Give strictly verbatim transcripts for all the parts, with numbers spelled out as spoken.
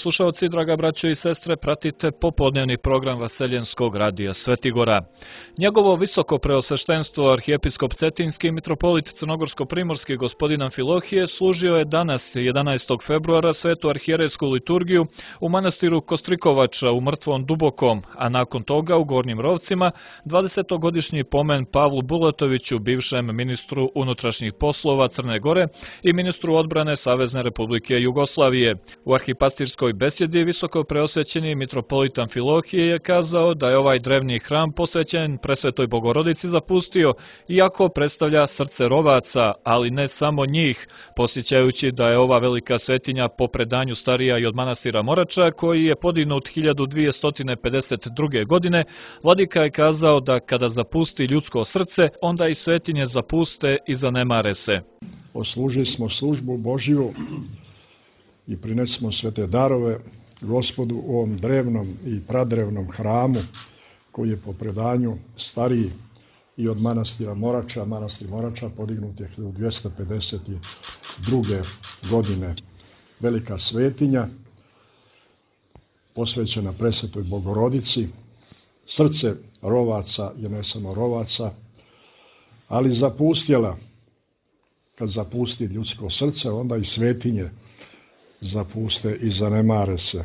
slušalci, draga braćo i sestre, pratite popodnevni program Vaseljenskog radija Svetigora. Njegovo visoko preosveštenstvo arhijepiskop Cetinski mitropolit Crnogorsko-primorski gospodin Amfilohije služio je danas, jedanaestog februara, svetu arhijerejsku liturgiju u manastiru Kostrikovača u Mrtvom Dubokom, a nakon toga u Gornjim Rovcima dvadesetogodišnji pomen Pavlu Bulatoviću, bivšem ministru unutrašnjih poslova Crne Gore i ministru odbrane Savezne Republike Jugoslavije. U arhipastirskoj besjedi visoko preosvećeni mitropolit Amfilohije je kazao da je ovaj drevni hram posvećen Presvetoj Bogorodici zapustio, iako predstavlja srce Rovaca, ali ne samo njih, posjećajući da je ova velika svetinja po predanju starija i od manastira Morača, koji je podignut hiljadu dvjesto pedeset druge. godine, vladika je kazao da kada zapusti ljudsko srce, onda i svetinje zapuste i zanemare se. Oslužili smo službu Božiju i prinesimo svete darove Gospodu u ovom drevnom i pradrevnom hramu, koji je po predanju stariji i od manastira Morača. Manastir Morača podignut je hiljadu dvjesto pedeset druge. godine. Velika svetinja, posvećena Presvetoj Bogorodici. Srce Rovaca je ne samo Rovaca, ali zapustjela. Kad zapusti ljudsko srce, onda i svetinje zapuste i zanemare se.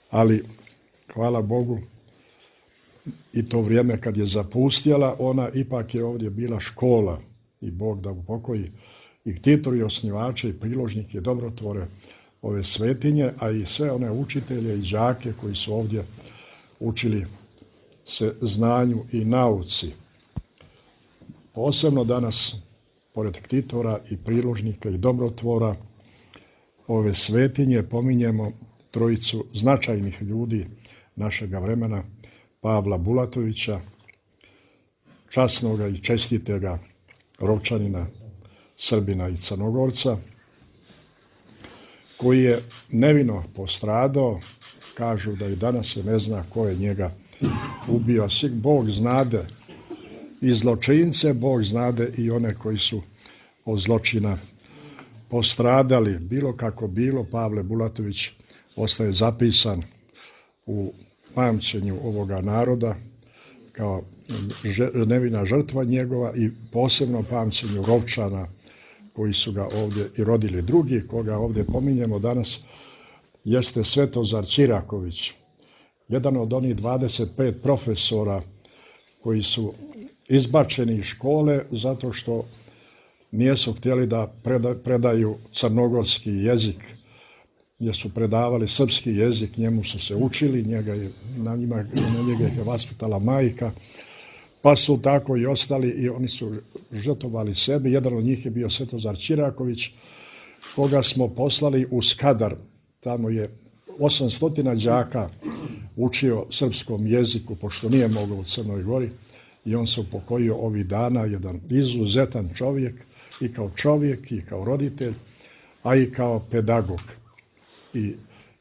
Ali, hvala Bogu, i to vrijeme kad je zapustjela, ona ipak je ovdje bila škola, i Bog da upokoji i ktitori, i osnivače, i priložnike, i dobrotvore ove svetinje, a i sve one učitelje i đake koji su ovdje učili se znanju i nauci. Posebno danas, pored ktitora i priložnika i dobrotvora ove svetinje, pominjemo trojicu značajnih ljudi našega vremena, Pavla Bulatovića, časnoga i čestitega Rovčanina, Srbina i Crnogorca, koji je nevino postradao. Kažu da i danas se ne zna ko je njega ubio. Bog znade i zločince, Bog znade i one koji su od zločina postradali. Bilo kako bilo, Pavle Bulatović ostaje zapisan u pamćenju ovoga naroda kao nevina žrtva njegova i posebno pamćenju Rovčana koji su ga ovdje i rodili. Drugi koga ovdje pominjemo danas jeste Svetozar Ćiraković, jedan od onih dvadeset pet profesora koji su izbačeni iz škole zato što nisu htjeli da predaju crnogorski jezik, gdje su predavali srpski jezik, njemu su se učili, njega je, na, njima, na njega je vaspitala majka, pa su tako i ostali i oni su žrtvovali sebi. Jedan od njih je bio Svetozar Ćiraković, koga smo poslali u Skadar. Tamo je osamsto đaka učio srpskom jeziku, pošto nije mogao u Crnoj Gori, i on se upokojio ovih dana, jedan izuzetan čovjek, i kao čovjek, i kao roditelj, a i kao pedagog. I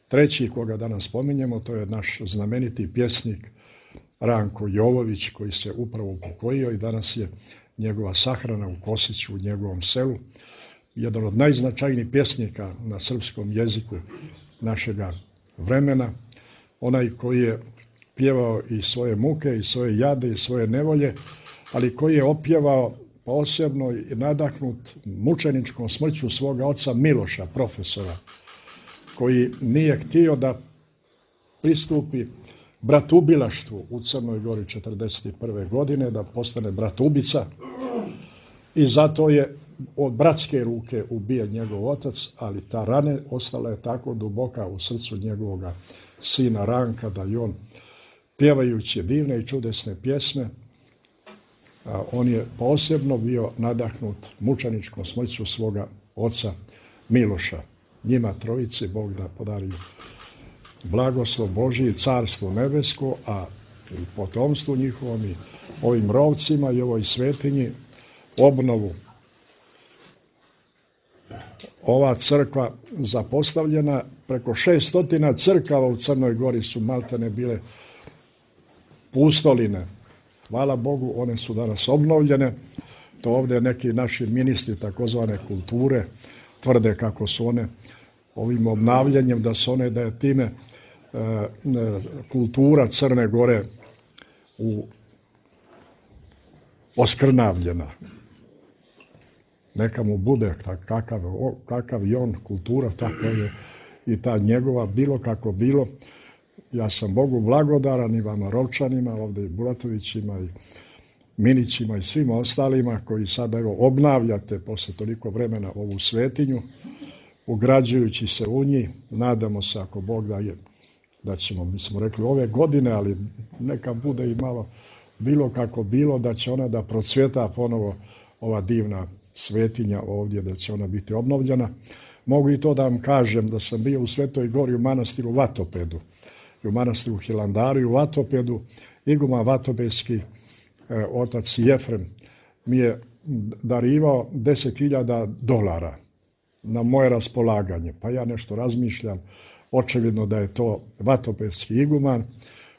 treći koga danas spominjemo, to je naš znameniti pjesnik Ranko Jovović, koji se upravo upokojio i danas je njegova sahrana u Kosiću, u njegovom selu. Jedan od najznačajnijih pjesnika na srpskom jeziku našega vremena. Onaj koji je pjevao i svoje muke, i svoje jade, i svoje nevolje, ali koji je opjevao posebno i nadahnut mučeničkom smrću svoga oca Miloša, profesora, koji nije htio da pristupi bratubilaštvu u Crnoj Gori četrdeset prve. godine, da postane bratubica, i zato je od bratske ruke ubijen njegov otac, ali ta rana ostala je tako duboka u srcu njegovoga sina Ranka da i on, pjevajući divne i čudesne pjesme, a on je posebno bio nadahnut mučeničkom smrću svoga oca Miloša. Njima trojici Bog da podari blagoslov Božji, carstvo nebesko, a i potomstvu njihovom i ovim Rovcima i ovoj svetinji obnovu. Ova crkva zapostavljena, preko šeststo crkava u Crnoj Gori su maltene bile pustoline. Hvala Bogu, one su danas obnovljene. To ovdje neki naši ministri takozvane kulture tvrde kako su one ovim obnavljanjem, da se one, da je time e, kultura Crne Gore u oskrnavljena. Neka mu bude kakav, kakav je on kultura, tako je i ta njegova, bilo kako bilo. Ja sam Bogu blagodaran i vama Rovčanima, ovdje i Bulatovićima i Minićima i svima ostalima koji sad evo obnavljate posle toliko vremena ovu svetinju, ugrađujući se u njih. Nadamo se, ako Bog da je, da ćemo, mi smo rekli ove godine, ali neka bude i malo bilo kako bilo, da će ona da procvjeta ponovo ova divna svetinja ovdje, da će ona biti obnovljena. Mogu i to da vam kažem da sam bio u Svetoj Gori u manastiru Vatopedu, i u manastiru Hilandaru i u Vatopedu. Iguma Vatopedski e, otac Jefrem mi je darivao deset hiljada dolara na moje raspolaganje. Pa ja nešto razmišljam, očevidno da je to Vatopedski iguman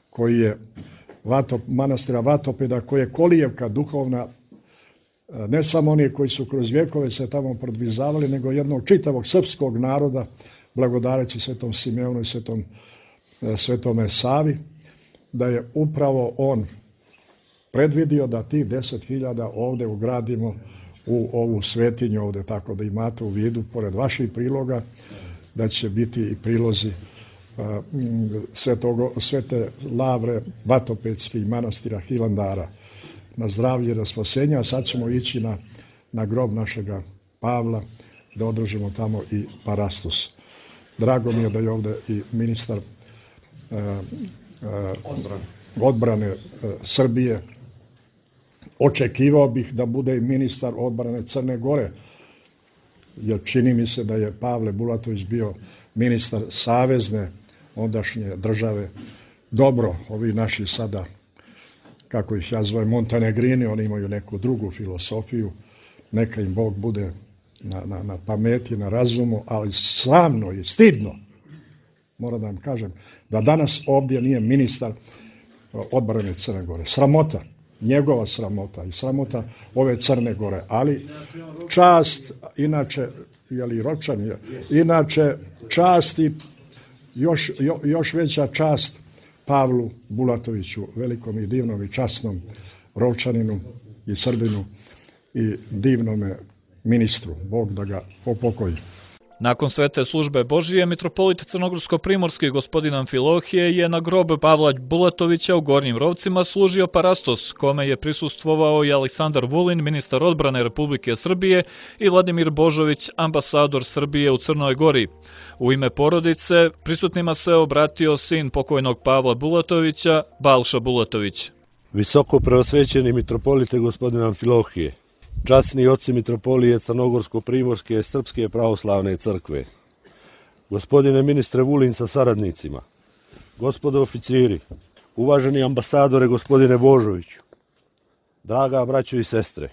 koji je Vatop, manastira Vatopeda, koji je kolijevka duhovna, ne samo oni koji su kroz vjekove se tamo prodvizavali, nego jednog čitavog srpskog naroda, blagodareći Svetom Simeonu i Svetom, Svetome Savi, da je upravo on predvidio da ti deset hiljada ovdje ugradimo u ovu svetinju ovdje, tako da imate u vidu, pored vaših priloga, da će biti i prilozi Svetogo, Svete Lavre Vatopedskih manastira Hilandara na zdravlje i na spasenje, a sad ćemo ići na, na grob našega Pavla da održimo tamo i parastos. Drago mi je da je ovdje i ministar uh, uh, odbrane uh, Srbije. Očekivao bih da bude i ministar odbrane Crne Gore, jer čini mi se da je Pavle Bulatović bio ministar savezne ondašnje države. Dobro, ovi naši sada, kako ih ja zovem, Montenegrini, oni imaju neku drugu filosofiju, neka im Bog bude na, na, na pameti, na razumu, ali sramno i stidno, moram da vam kažem, da danas ovdje nije ministar odbrane Crne Gore. Sramota, njegova sramota i sramota ove Crne Gore, ali čast, inače, jeli Ročan je, inače čast i još, jo, još veća čast Pavlu Bulatoviću, velikom i divnom i časnom Rovčaninu i Srbinu i divnome ministru. Bog da ga popokoji. Nakon svete službe Božije, mitropolit crnogorsko-primorski gospodin Amfilohije je na grob Pavla Bulatovića u Gornjim Rovcima služio parastos, kome je prisustvovao i Aleksandar Vulin, ministar odbrane Republike Srbije, i Vladimir Božović, ambasador Srbije u Crnoj Gori. U ime porodice prisutnima se obratio sin pokojnog Pavla Bulatovića, Balša Bulatović. Visoko preosvećeni mitropolite gospodin Amfilohije, časni oci mitropolije Crnogorsko-primorske Srpske pravoslavne crkve, gospodine ministre Vulin sa saradnicima, gospodo oficiri, uvaženi ambasadore gospodine Božoviću, draga braćo i sestre,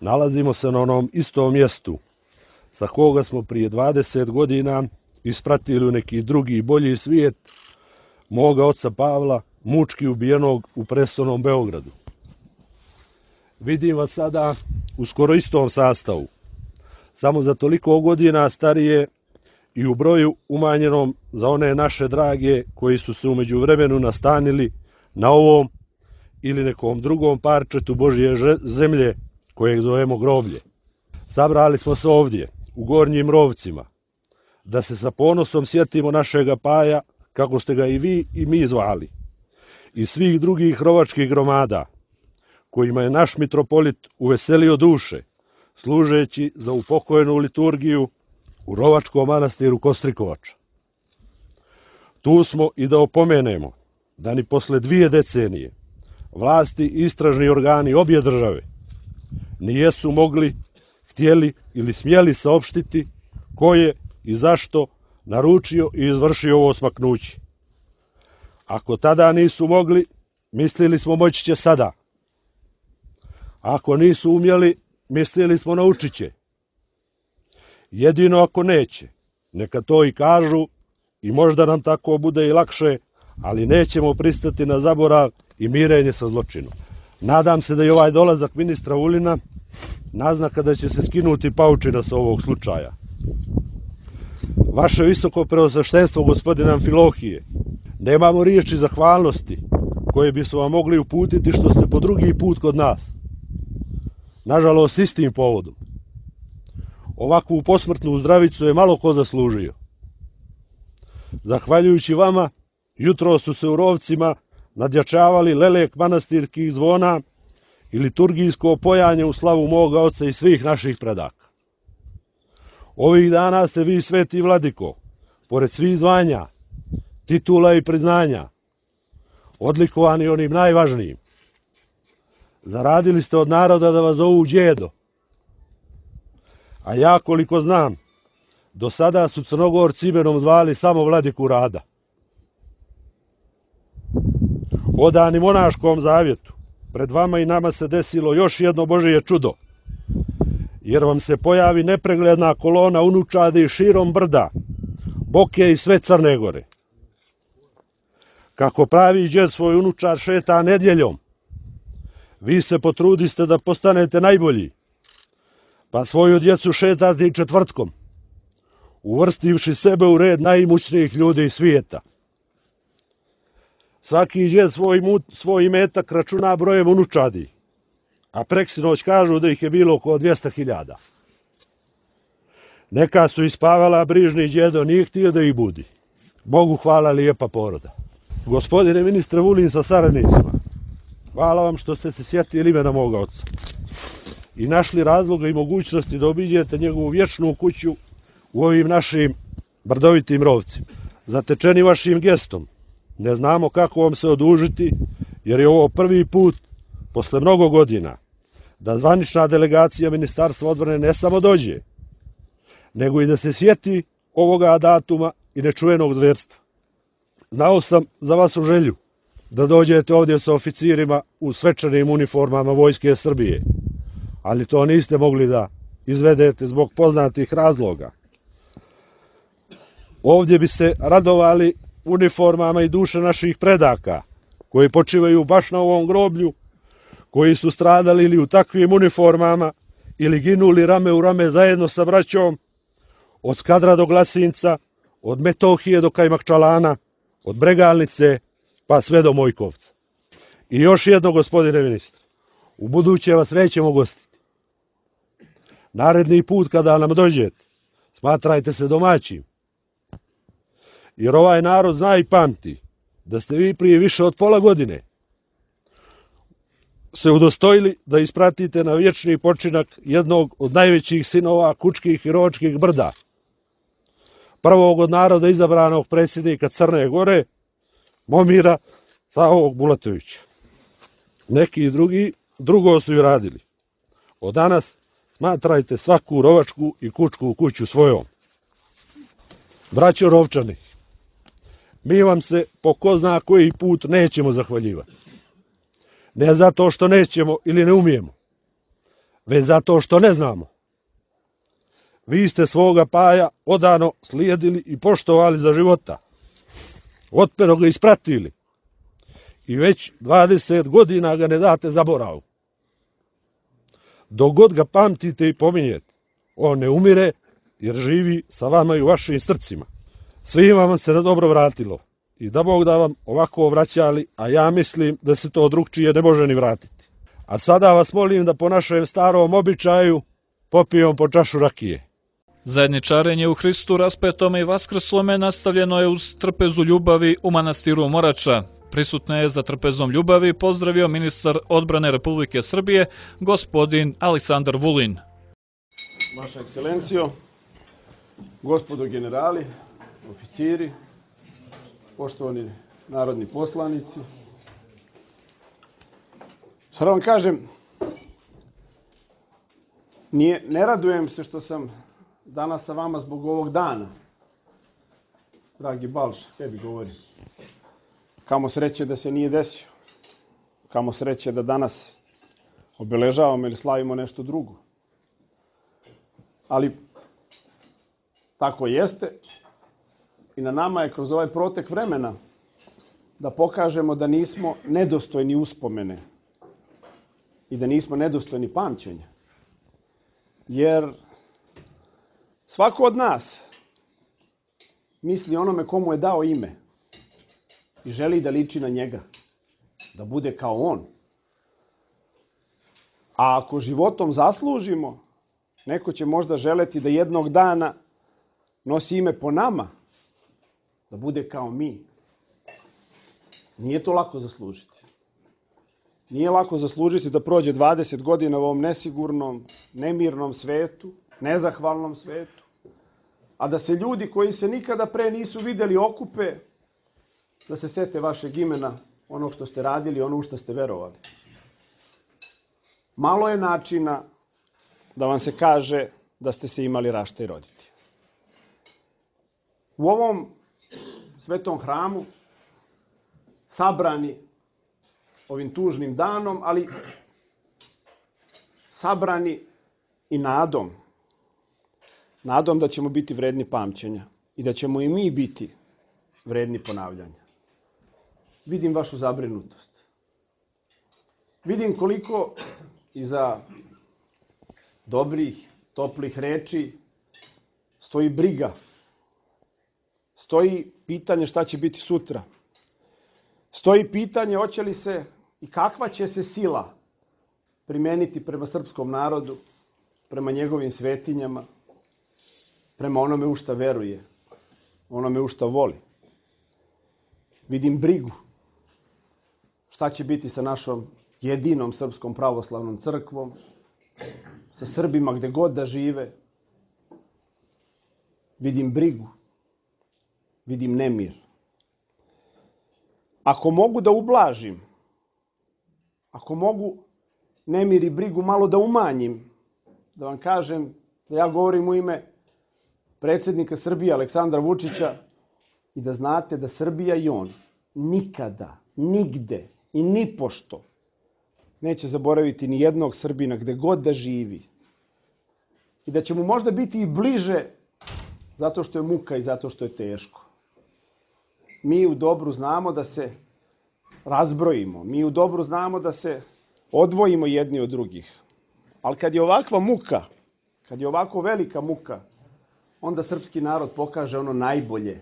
nalazimo se na onom istom mjestu sa koga smo prije dvadeset godina ispratili u neki drugi bolji svijet moga oca Pavla, mučki ubijenog u prestonom Beogradu. Vidim vas sada u skoro istom sastavu, samo za toliko godina starije i u broju umanjenom za one naše drage koji su se u međuvremenu nastanili na ovom ili nekom drugom parčetu Božje zemlje kojeg zovemo groblje. Sabrali smo se ovdje, u Gornjim Rovcima, da se sa ponosom sjetimo našega Paja, kako ste ga i vi i mi zvali, i svih drugih rovačkih gromada, kojima je naš mitropolit uveselio duše, služeći za upokojenu liturgiju u rovačkom manastiru Kostrikovača. Tu smo i da opomenemo da ni posle dvije decenije vlasti i istražni organi obje države nijesu mogli, htjeli ili smjeli saopštiti ko je i zašto naručio i izvršio ovo smaknuće. Ako tada nisu mogli, mislili smo moći će sada. Ako nisu umjeli, mislili smo naučit će. Jedino ako neće, neka to i kažu i možda nam tako bude i lakše, ali nećemo pristati na zaborav i mirenje sa zločinom. Nadam se da je ovaj dolazak ministra Vulina naznaka da će se skinuti paučina sa ovog slučaja. vaše visoko preosveštenstvo, gospodine Amfilohije, nemamo riječi zahvalnosti koje bi su vam mogli uputiti što ste po drugi put kod nas. Nažalost, istim povodom. Ovakvu posmrtnu zdravicu je malo ko zaslužio. Zahvaljujući vama, jutro su se u rovcima nadjačavali lelek manastirskih zvona i liturgijsko pojanje u slavu moga oca i svih naših predaka. Ovih dana se vi, sveti vladiko, pored svih zvanja, titula i priznanja, odlikovani onim najvažnijim, zaradili ste od naroda da vas zovu đedo. A ja, koliko znam, do sada su Crnogorci imenom zvali samo vladiku Rada. Odani monaškom zavjetu, pred vama i nama se desilo još jedno Božije čudo, jer vam se pojavi nepregledna kolona unučadi širom brda, Boke i sve Crne Gore. Kako pravi đed svoj unučar šeta nedjeljom, vi se potrudiste da postanete najbolji, pa svoju djecu šetate i četvrtkom, uvrstivši sebe u red najimućnijih ljudi svijeta. Svaki đed svoj, svoj imetak računa brojem unučadi, a preksinoć kažu da ih je bilo oko dvjesto hiljada. Neka su ispavala, brižni đedo nije htio da ih budi. Bogu hvala, lijepa poroda. Gospodine ministre Vulin sa saradnicima, hvala vam što ste se sjetili imena moga oca i našli razloga i mogućnosti da obiđete njegovu vječnu kuću u ovim našim brdovitim rovcima. Zatečeni vašim gestom, ne znamo kako vam se odužiti, jer je ovo prvi put, posle mnogo godina, da zvanična delegacija Ministarstva odbrane ne samo dođe, nego i da se sjeti ovoga datuma i nečuvenog zverstva. Znao sam za vašu želju da dođete ovdje sa oficirima u svečanim uniformama Vojske Srbije, ali to niste mogli da izvedete zbog poznatih razloga. Ovdje bi se radovali uniformama i duše naših predaka, koji počivaju baš na ovom groblju, koji su stradali ili u takvim uniformama, ili ginuli rame u rame zajedno sa braćom, od Skadra do Glasinca, od Metohije do Kajmakčalana, od Bregalnice pa sve do Mojkovca. I još jedno, gospodine ministre, u buduće vas nećemo gostiti. Naredni put kada nam dođete, smatrajte se domaćim, jer ovaj narod zna i pamti da ste vi prije više od pola godine se udostojili da ispratite na vječni počinak jednog od najvećih sinova Kučkih i Ročkih brda, prvog od naroda izabranog predsjednika Crne Gore, Momira Savog Bulatovića. Neki drugi drugo su i radili. Od danas smatrajte svaku rovačku i kučku kuću svojom. Braćo Rovčani, mi vam se po ko zna koji put nećemo zahvaljivati. Ne zato što nećemo ili ne umijemo, već zato što ne znamo. Vi ste svoga paja odano slijedili i poštovali za života. Otpero ga ispratili. I već dvadeset godina ga ne date zaboravu. Dok god ga pamtite i pominjete, on ne umire jer živi sa vama i u vašim srcima. Svima vam se na dobro vratilo i da Bog da vam ovako vraćali, a ja mislim da se to drugčije ne može ni vratiti. A sada vas molim da po našem starom običaju popijemo po čašu rakije. Zajedničarenje u Hristu raspetome i vaskrslome nastavljeno je uz trpezu ljubavi u manastiru Morača. Prisutno je za trpezom ljubavi pozdravio ministar odbrane Republike Srbije, gospodin Aleksandar Vulin. Vaša ekscelencijo, gospodo generali, oficiri, poštovani narodni poslanici. Sada vam kažem, nije, ne radujem se što sam danas sa vama zbog ovog dana. Dragi Balša, tebi govorim. Kamo sreće da se nije desio. Kamo sreće da danas obeležavamo ili slavimo nešto drugo. Ali tako jeste i na nama je kroz ovaj protek vremena da pokažemo da nismo nedostojni uspomene i da nismo nedostojni pamćenja. Jer svako od nas misli onome komu je dao ime i želi da liči na njega, da bude kao on. A ako životom zaslužimo, neko će možda želeti da jednog dana nosi ime po nama, da bude kao mi. Nije to lako zaslužiti. Nije lako zaslužiti da prođe dvadeset godina u ovom nesigurnom, nemirnom svetu, nezahvalnom svetu, a da se ljudi koji se nikada pre nisu videli okupe, da se sete vašeg imena, ono što ste radili, ono u što ste verovali. Malo je načina da vam se kaže da ste se imali rašta i roditi. U ovom svetom hramu, sabrani ovim tužnim danom, ali sabrani i nadom. Nadom da ćemo biti vredni pamćenja i da ćemo i mi biti vredni ponavljanja. Vidim vašu zabrinutost. Vidim koliko iza dobrih, toplih reči stoji briga. Stoji pitanje šta će biti sutra. Stoji pitanje hoće li se i kakva će se sila primeniti prema srpskom narodu, prema njegovim svetinjama, prema onome u šta veruje, onome u šta voli. Vidim brigu. Šta će biti sa našom jedinom srpskom pravoslavnom crkvom, sa Srbima gde god da žive. Vidim brigu. Vidim nemir. Ako mogu da ublažim, ako mogu nemir i brigu malo da umanjim, da vam kažem da ja govorim u ime predsjednika Srbije Aleksandra Vučića i da znate da Srbija i on nikada, nigde i nipošto neće zaboraviti ni jednog Srbina gde god da živi. I da će mu možda biti i bliže zato što je muka i zato što je teško. Mi u dobru znamo da se razbrojimo. Mi u dobru znamo da se odvojimo jedni od drugih. Ali kad je ovakva muka, kad je ovako velika muka, onda srpski narod pokaže ono najbolje.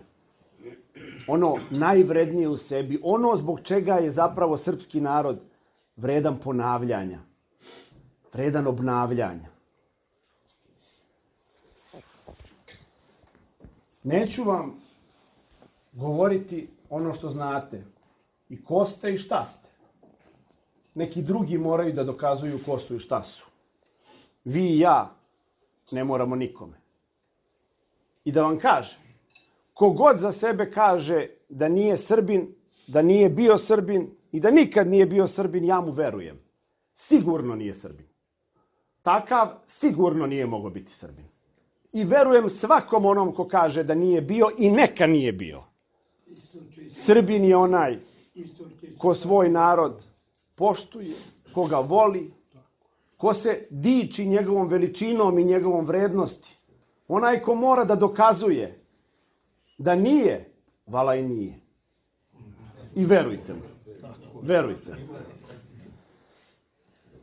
Ono najvrednije u sebi. Ono zbog čega je zapravo srpski narod vredan ponavljanja. Vredan obnavljanja. Neću vam govoriti ono što znate. I ko ste i šta ste. Neki drugi moraju da dokazuju ko su i šta su. Vi i ja ne moramo nikome. I da vam kažem, kogod za sebe kaže da nije Srbin, da nije bio Srbin i da nikad nije bio Srbin, ja mu verujem. Sigurno nije Srbin. Takav sigurno nije mogao biti Srbin. I verujem svakom onom ko kaže da nije bio i neka nije bio. Srbin je onaj ko svoj narod poštuje, ko ga voli, ko se diči njegovom veličinom i njegovom vrednosti. Onaj ko mora da dokazuje da nije, vala i nije. I verujte mi. Verujte mi.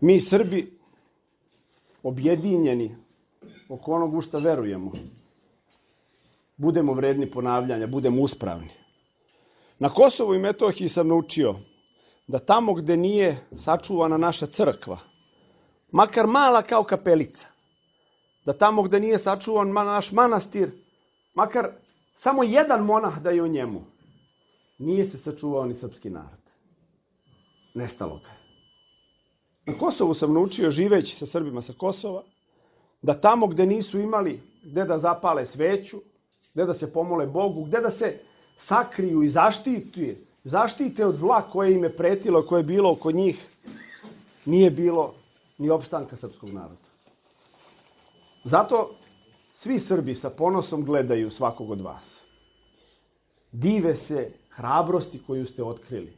Mi Srbi objedinjeni oko onog u šta verujemo. Budemo vredni ponavljanja, budemo uspravni. Na Kosovu i Metohiji sam naučio da tamo gde nije sačuvana naša crkva, makar mala kao kapelica, da tamo gde nije sačuvan naš manastir, makar samo jedan monah da je u njemu, nije se sačuvao ni srpski narod. Nestalo ga. Na Kosovu sam naučio, živeći sa Srbima sa Kosova, da tamo gde nisu imali gde da zapale sveću, gde da se pomole Bogu, gde da se sakriju i zaštite, zaštite od zla koje im je pretilo, koje je bilo oko njih, nije bilo ni opstanka srpskog naroda. Zato svi Srbi sa ponosom gledaju svakog od vas. Dive se hrabrosti koju ste otkrili.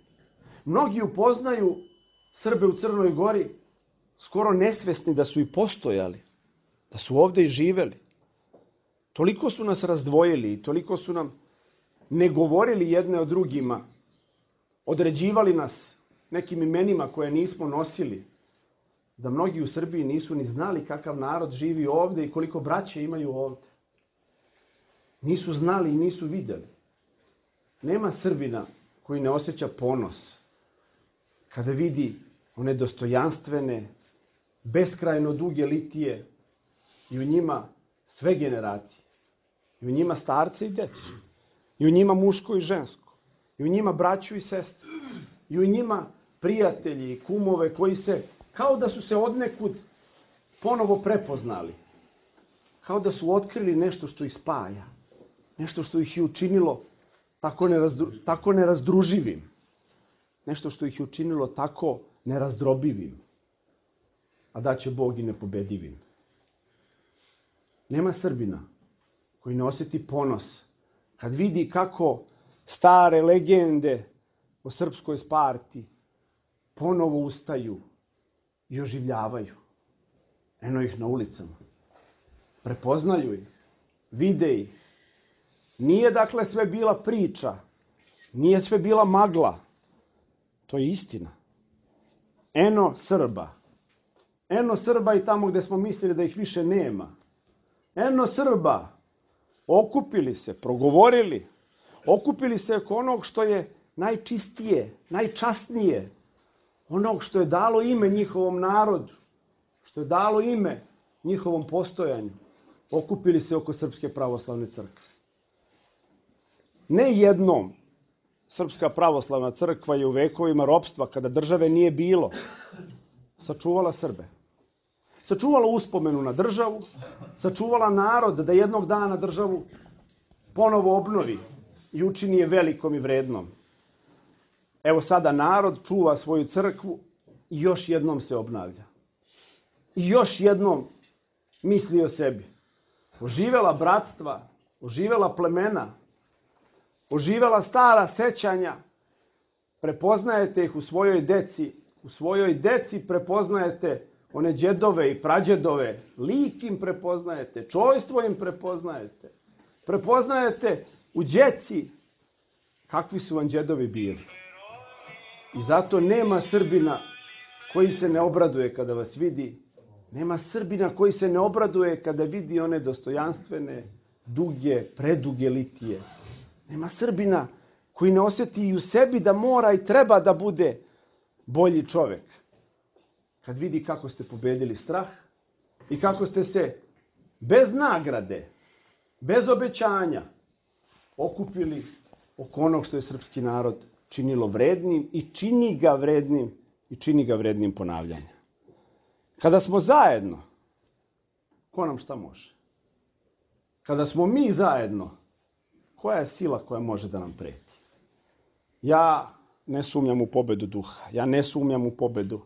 Mnogi upoznaju Srbe u Crnoj Gori skoro nesvesni da su i postojali, da su ovde i živeli. Toliko su nas razdvojili i toliko su nam ne govorili jedne o drugima, određivali nas nekim imenima koje nismo nosili, da mnogi u Srbiji nisu ni znali kakav narod živi ovde i koliko braće imaju ovde. nisu znali i nisu vidjeli. Nema Srbina koji ne osjeća ponos kada vidi one dostojanstvene, beskrajno duge litije i u njima sve generacije. I u njima starce i djecu. I u njima muško i žensko. I u njima braću i sestre. I u njima prijatelji i kumove koji se, kao da su se odnekud ponovo prepoznali. Kao da su otkrili nešto što ih spaja. Nešto što ih je učinilo tako, nerazdru, tako nerazdruživim. Nešto što ih je učinilo tako nerazdrobivim. A da će Bog i nepobedivim. Nema Srbina koji ne osjeti ponos kad vidi kako stare legende o srpskoj Sparti ponovo ustaju i oživljavaju. Eno ih na ulicama. Prepoznaju ih. Vide ih. Nije dakle sve bila priča. Nije sve bila magla. To je istina. Eno Srba. Eno Srba i tamo gdje smo mislili da ih više nema. Eno Srba. Okupili se, progovorili. Okupili se oko onog što je najčistije, najčasnije. Onog što je dalo ime njihovom narodu. Što je dalo ime njihovom postojanju. Okupili se oko Srpske pravoslavne crkve. Ne jednom Srpska pravoslavna crkva je u vekovima ropstva, kada države nije bilo, sačuvala Srbe. Sačuvala uspomenu na državu, sačuvala narod da jednog dana državu ponovo obnovi i učini je velikom i vrednom. Evo sada narod čuva svoju crkvu i još jednom se obnavlja. I još jednom misli o sebi. Oživela bratstva, oživela plemena, oživela stara sećanja, prepoznajete ih u svojoj deci, u svojoj deci prepoznajete one džedove i prađedove, lik im prepoznajete, čojstvo im prepoznajete, prepoznajete u djeci kakvi su vam džedovi bili. I zato nema Srbina koji se ne obraduje kada vas vidi, nema Srbina koji se ne obraduje kada vidi one dostojanstvene, duge, preduge litije. Nema Srbina koji ne osjeti i u sebi da mora i treba da bude bolji čovjek. Kad vidi kako ste pobedili strah i kako ste se bez nagrade, bez obećanja okupili oko onog što je srpski narod činilo vrednim i čini ga vrednim i čini ga vrednim ponavljanja. Kada smo zajedno, ko nam šta može? Kada smo mi zajedno, koja je sila koja može da nam preti? Ja ne sumnjam u pobedu duha. Ja ne sumnjam u pobedu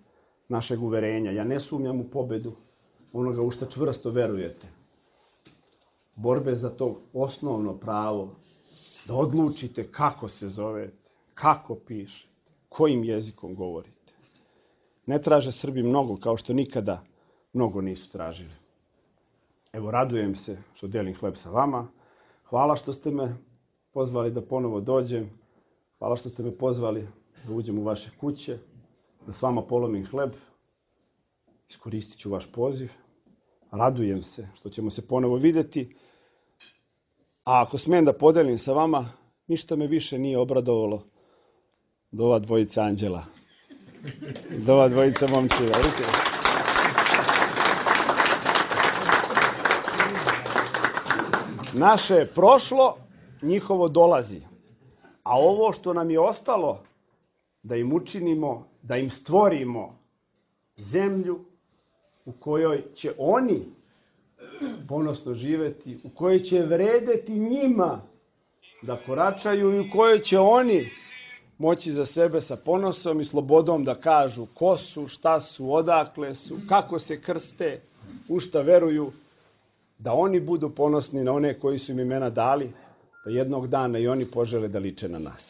našeg uverenja. Ja ne sumnjam u pobedu onoga u što čvrsto verujete. Borbe za to osnovno pravo da odlučite kako se zovete, kako pišete, kojim jezikom govorite. Ne traže Srbi mnogo kao što nikada mnogo nisu tražili. Evo, radujem se što delim hleb sa vama. Hvala što ste me pozvali da ponovo dođem. Hvala što ste me pozvali da uđem u vaše kuće, da s vama polomim hleb. Iskoristit ću vaš poziv. Radujem se što ćemo se ponovo vidjeti. A ako smijem da podelim sa vama, ništa me više nije obradovalo do ova dvojica anđela. Do ova dvojica momčeva. Naše je prošlo, njihovo dolazi. A ovo što nam je ostalo, da im učinimo, da im stvorimo zemlju u kojoj će oni ponosno živjeti, u kojoj će vredeti njima da koračaju i u kojoj će oni moći za sebe sa ponosom i slobodom da kažu ko su, šta su, odakle su, kako se krste, u šta veruju, da oni budu ponosni na one koji su im imena dali, da jednog dana i oni požele da liče na nas.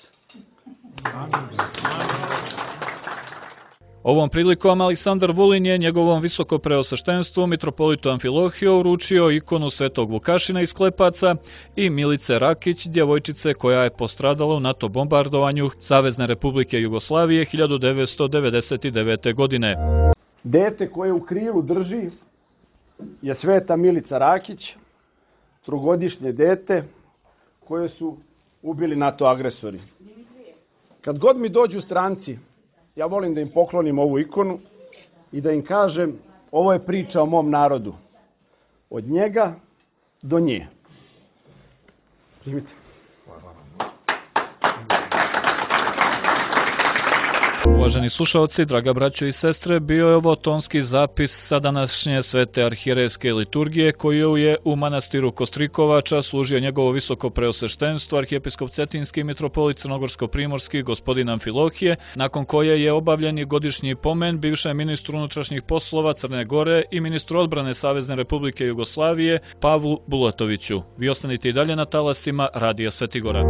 Ovom prilikom Aleksandar Vulin je njegovom visokopreosveštenstvu mitropolitu Amfilohiju uručio ikonu Svetog Vukašina iz Klepaca i Milice Rakić, djevojčice koja je postradala u NATO bombardovanju Savezne Republike Jugoslavije hiljadu devetsto devedeset devete. godine. Dete koje u krilu drži je Sveta Milica Rakić, trogodišnje dete koje su ubili NATO agresori. Kad god mi dođu stranci, ja volim da im poklonim ovu ikonu i da im kažem, ovo je priča o mom narodu. Od njega do nje. Primite. Uvaženi slušalci, draga braćo i sestre, bio je ovo tonski zapis sa današnje svete arhijerejske liturgije koju je u manastiru Kostrikovača služio njegovo visoko preosveštenstvo arhijepiskop Cetinski mitropolit Crnogorsko-primorski gospodin Amfilohije, nakon koje je obavljen i godišnji pomen bivšem ministru unutrašnjih poslova Crne Gore i ministru odbrane Savezne Republike Jugoslavije Pavlu Bulatoviću. Vi ostanite i dalje na talasima Radija Svetigora.